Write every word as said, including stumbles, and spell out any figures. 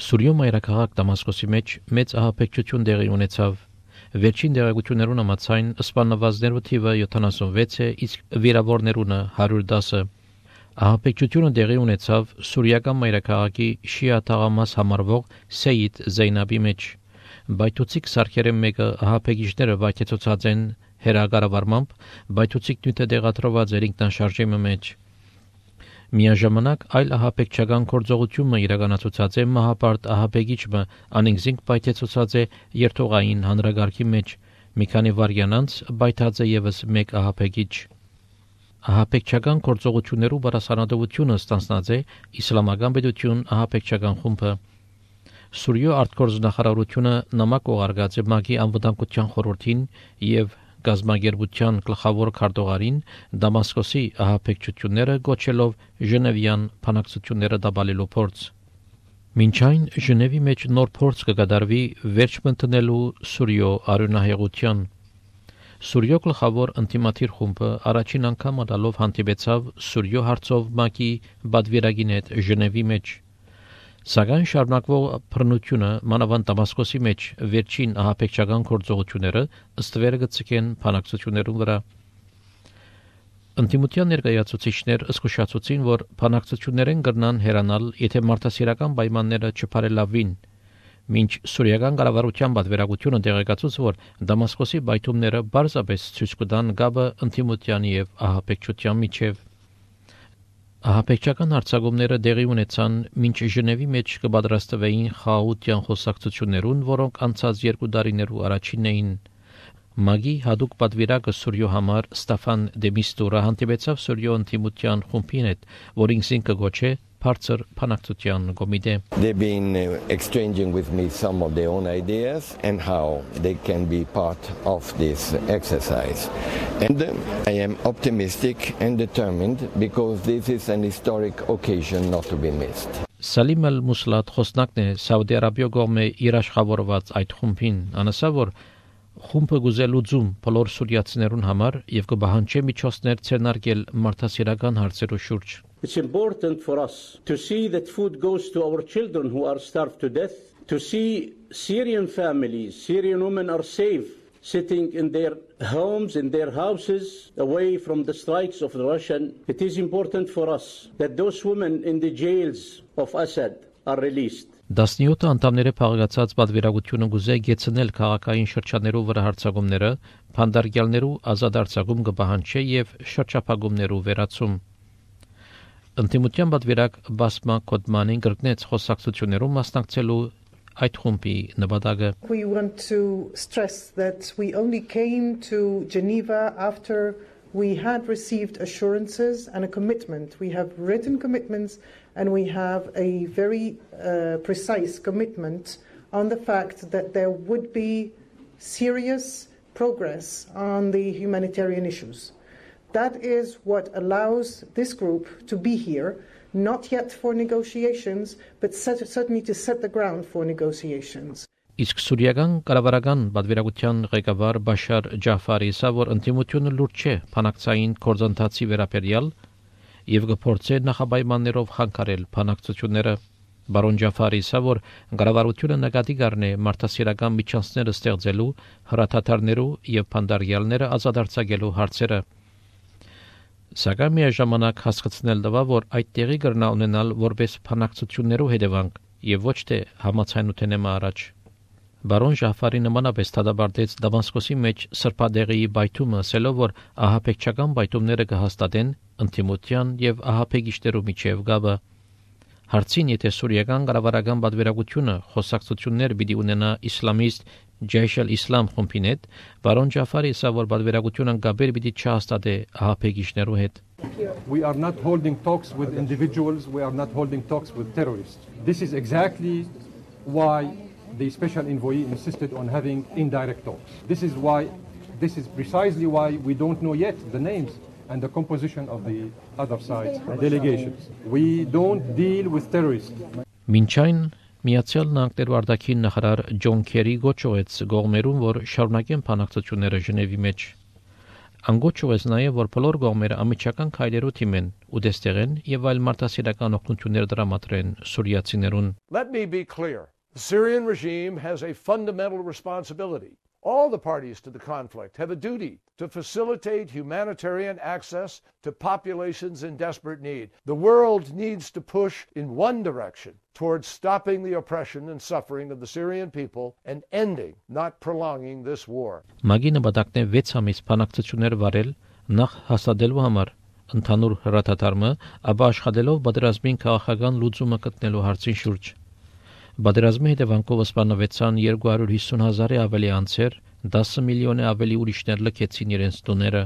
Սուրիո մայրաքաղաք Դամասկոսի մեջ մեծ ահաբեկչություն տեղի ունեցավ։ Վերջին տեղեկություններուն համաձայն սպանվածներու թիվը յոթանասունվեց է, իսկ վիրավորներունը հարյուր դասը։ Ահաբեկչությունը տեղի ունեցավ սուրիական մայրաքաղաքի շիա թաղամաս համարվող Սեյիդ Զեյնաբի մեջ։ Բայթուցիկ սարքերեն մեկը ահաբեկիչները վայթեցուցած են հերագարավարմամբ, բայթուցիկ նյութը դեղատրված էր ինքնաշարժի մեջ։ Միաժամանակ այլ ահաբեկչական գործողությունը իրականացուցած է մահապարտ ահաբեկիչը անինքզինք բայթեցուցած է երթողային հանրագարքի մեջ։ Մի քանի վայրկյան անց բայթած է եւս մեկ ահաբեկիչ։ Ահաբեկչական գործողություններու բարձրանալությունը ստանձնած է իսլամական պետություն ահաբեկչական խումբը։ Սուրիո արտգործնախարարությունը նամակ ուղարկած է ՄԱԿ-ի անվտանգության խորհրդին եւ գազագերբության գլխավոր քարտուղարին Դամասկոսի ահաբեկչությունները գոչելով Ժնևյան բանակցությունները դաբալելու փորձ։ Մինչ այն Ժնևի մեջ նոր փորձ կկատարվի վերջ մտնելու Սուրիո արյունահեղության։ Սուրիո գլխավոր ինտիմատիր խումբը առաջին անգամ ալով հանդիպեցավ Սուրիո հարցով ՄԱԿ-ի բադվիրագին հետ Ժնևի մեջ։ Սակայն շարունակվող բռնությունը մանավանդ Դամասկոսի մեջ վերջին ահաբեկչական գործողությունները ըստվերը գծկեն բանակցություններուն վրա։ Ընտիմության ներկայացուցիչներ զսկուշացուցին, որ բանակցություններեն կրնան հեռանալ, եթե մարդասիրական պայմանները չփարելավին։ Մինչ սուրիական կառավարության պատվիրակությունը տեղեկացուց, որ Դամասկոսի բայթումները բարձրապես ցույց կտան գաբը ընտիմության եւ ահաբեկչության միջև։ Ահաբեկչական հարձակումները տեղի ունեցան մինչ Ժնևի մեջ կպատրաստվեին խաղաղության խոսակցություններուն, որոնք անցած երկու տարիներու առաջինն էին։ ՄԱԿ-ի հadoop պատվիրակը Սուրիո համար Ստեֆան Դեմիստուրը հանդիպեցավ Սուրիո ընտիմության խումբին հետ, որին ինքը գոչե բարձր բանակցության կոմիտե։ They've been uh, exchanging with me some of their own ideas and how they can be part of this exercise. And uh, I am optimistic and determined because this is an historic occasion not to be missed. Սալիմ Ալ-Մուսլատ խոսնակն է Սաուդի Արաբիա կողմէ իր աշխատավորված այդ խումբին, անասա որ խումբը գուզելուծում բոլոր սուրիացիներուն համար եւ կբահանջի միջոցներ ցերնարկել մարդասիրական հարցերու շուրջ։ It's important for us to see that food goes to our children who are starved to death, to see Syrian families, Syrian women are safe, sitting in their homes, in their houses, away from the strikes of the Russian. It is important for us that those women in the jails of Assad are released. Տասնյոթ անդամները փաղկացած պատվիրակությունը գուզե գեցնել քաղաքային շրջաններու վրա հարձակումները, փանդարգյալներու ազատ արձակում կբահանջի եւ շրջափակումներու վերացում։ Ընտիմության պատվիրակ Բասմա Կոդմանին գրկնեց խոսակցություններում մասնակցելու այդ խումբի նպատակը։ We want to stress that we only came to Geneva after we had received assurances and a commitment. We have written commitments and we have a very uh, precise commitment on the fact that there would be serious progress on the humanitarian issues. That is what allows this group to be here, not yet for negotiations, but set, certainly to set the ground for negotiations. Իսկ սուրիական կառավարական պատվիրակության ղեկավար Բաշար Ջաֆարի ասա, որ ընդդիմությունը լուրջ չէ բանակցային գործընթացի վերաբերյալ եւ կփորձե նախապայմաններով խանգարել բանակցությունները։ Բարոն Ջաֆարի ասա, որ կառավարությունը նկատի կառնե մարդասիրական միջանցքները ստեղծելու, հրաթաթարներու եւ փանդարգյալները ազատ արձակելու հարցերը։ Սակայն միաժամանակ հասկացնել տվա, որ այդ տեղի կրնա ունենալ որպես բանակցություններու հետևանք եւ ոչ թե համացանութենեմա առաջ։ Բարոն Ջաֆարի նմանապես դադարեցեց Դամասկոսի մեջ սրբադեղի բայթումը, ասելով, որ ահաբեկչական բայթումները կհաստատեն ընդդիմության եւ ահաբեկիչներու միջև գաբը։ Հարցին, եթե սուրիական կառավարական պատվիրակությունը խոսակցություններ պիտի ունենա իսլամիստ Ջեյշ ալ-Իսլամ խումբին հետ, բարոն Ջաֆարի ասա, որ պատվիրակությունը գաբեր պիտի չհաստատե ահաբեկիչներու հետ։ We are not holding talks with individuals, we are not holding talks with terrorists. This is exactly why the special envoy insisted on having indirect talks. This is why, this is precisely why we don't know yet the names and the composition of the other side's delegations. We don't deal with terrorists. Մինչ այն Միացյալ Նահանգներու արտաքին նախարար Ջոն Քերի գոչեց գողմերուն, որ շարունակեն բանակցությունները Ժնևի մեջ։ Անգոչ ուղես նաև, որ բոլոր կողմերը ամիջական քայլերու թիմեն ու դեստեղեն եւ այլ մարդասիրական օգնություններ դրամատրեն սուրիացիներուն. Let me be clear. The Syrian regime has a fundamental responsibility. All the parties to the conflict have a duty to facilitate humanitarian access to populations in desperate need. The world needs to push in one direction towards stopping the oppression and suffering of the Syrian people and ending, not prolonging this war. Մագի նպատակն է վեց ամիս բանակցություններ վարել նախ հաստատելու համար ընդհանուր հրաթաթարմը, ապա աշխատելով պատերազմին քաղաքական լուծումը գտնելու հարցին շուրջ. Պատերազմի հետևանքով սպանվեցան երկու հարյուր հիսուն հազարի ավելի անձեր, դասը միլիոնի ավելի ուրիշներ լքեցին իրենց տուները.